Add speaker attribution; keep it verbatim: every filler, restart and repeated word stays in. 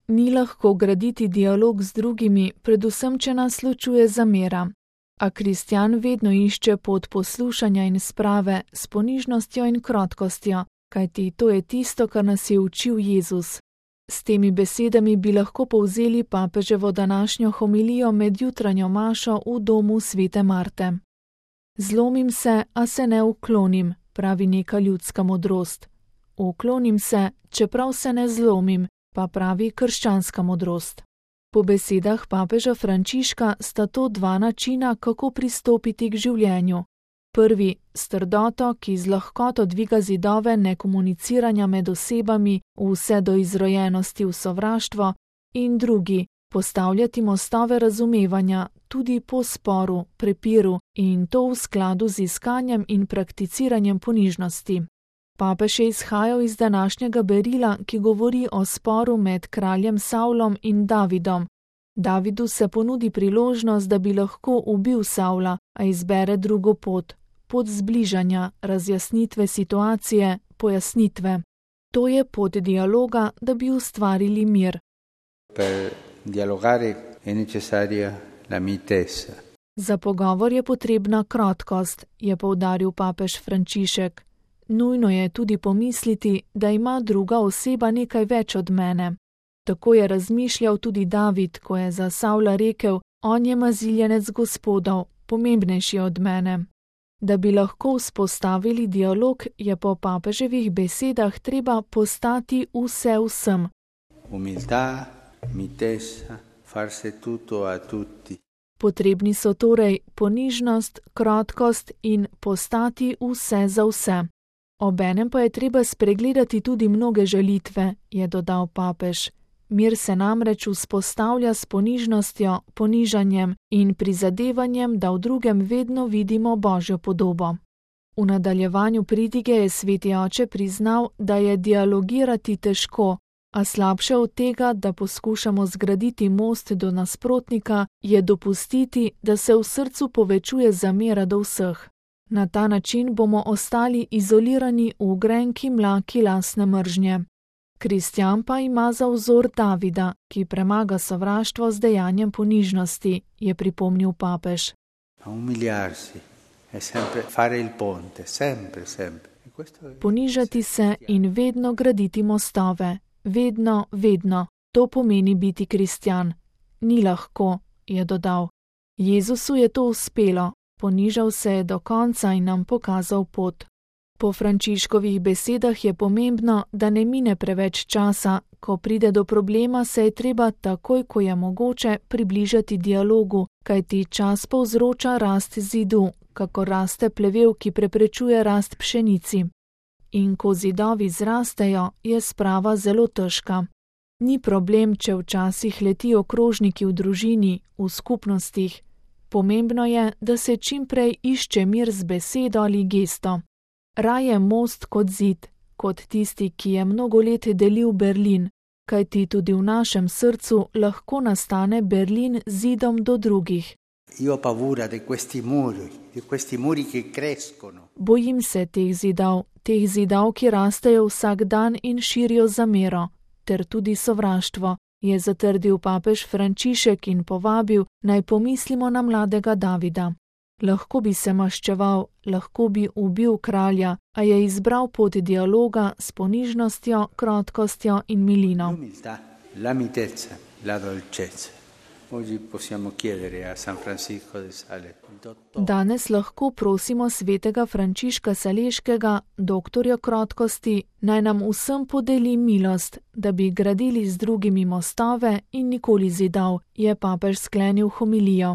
Speaker 1: Ni lahko graditi dialog z drugimi, predvsem če nas ločuje zamera. A kristjan vedno išče pot poslušanja in sprave s ponižnostjo in krotkostjo, kajti to je tisto, kar nas je učil Jezus. S temi besedami bi lahko povzeli papeževo današnjo homilijo med jutranjo mašo v domu svete Marte. Zlomim se, a se ne uklonim, pravi neka ljudska modrost. Uklonim se, čeprav se ne zlomim, pa pravi krščanska modrost. Po besedah papeža Frančiška sta to dva načina, kako pristopiti k življenju. Prvi, s trdoto, ki z lahkoto dviga zidove nekomuniciranja med osebami vse do izrojenosti v sovraštvo, in drugi, postavljati mostove razumevanja tudi po sporu, prepiru in to v skladu z iskanjem in prakticiranjem ponižnosti. Papež je izhajal iz današnjega berila, ki govori o sporu med kraljem Savlom in Davidom. Davidu se ponudi priložnost, da bi lahko ubil Savla, a izbere drugo pot, pot zbližanja, razjasnitve situacije, pojasnitve. To je pot dialoga, da bi ustvarili mir.
Speaker 2: Per dialogare è necessaria la mitezza.
Speaker 1: Za pogovor je potrebna krotkost, je poudaril papež Frančišek. Nujno je tudi pomisliti, da ima druga oseba nekaj več od mene. Tako je razmišljal tudi David, ko je za Savla rekel, on je maziljenec Gospodov, pomembnejši od mene. Da bi lahko vzpostavili dialog, je po papeževih besedah treba postati vse vsem.
Speaker 2: Umiltà, mitezza, farse tutto a tutti.
Speaker 1: Potrebni so torej ponižnost, krotkost in postati vse za vse. Obenem pa je treba spregledati tudi mnoge žalitve, je dodal papež. Mir se namreč vzpostavlja s ponižnostjo, ponižanjem in prizadevanjem, da v drugem vedno vidimo Božjo podobo. V nadaljevanju pridige je sveti oče priznal, da je dialogirati težko, a slabše od tega, da poskušamo zgraditi most do nasprotnika, je dopustiti, da se v srcu povečuje zamera do vseh. Na ta način bomo ostali izolirani v grenki mlaki lastne mržnje. Kristjan pa ima za vzor Davida, ki premaga sovraštvo z dejanjem ponižnosti, je pripomnil papež. Ponižati se in vedno graditi mostove. Vedno, vedno. To pomeni biti kristjan. Ni lahko, je dodal. Jezusu je to uspelo. Ponižal se je do konca in nam pokazal pot. Po Frančiškovih besedah je pomembno, da ne mine preveč časa, ko pride do problema, se je treba takoj, ko je mogoče, približati dialogu, kajti čas povzroča rast zidu, kako raste plevel, ki preprečuje rast pšenici. In ko zidovi zrastejo, je sprava zelo težka. Ni problem, če včasih letijo krožniki v družini, v skupnostih. Pomembno je, da se čimprej išče mir z besedo ali gesto. Raje most kot zid, kot tisti, ki je mnogo let delil Berlin, kajti tudi v našem srcu lahko nastane Berlin zidom do drugih.
Speaker 2: Io ho paura di questi muri, di questi muri che crescono.
Speaker 1: Bojim se teh zidov, teh zidov, ki rastejo vsak dan in širijo zamero, ter tudi sovraštvo, je zatrdil papež Frančišek in povabil, naj pomislimo na mladega Davida. Lahko bi se maščeval, lahko bi ubil kralja, a je izbral pot dialoga s ponižnostjo, krotkostjo in milino.
Speaker 2: L'umiltà, la mitezza, la dolcezza. Oggi possiamo chiedere a San Francisco de Sales.
Speaker 1: Danes lahko prosimo svetega Frančiška Saleškega, doktorja krotkosti, naj nam vsem podeli milost, da bi gradili z drugimi mostove in nikoli zidov, je papež sklenil homilijo.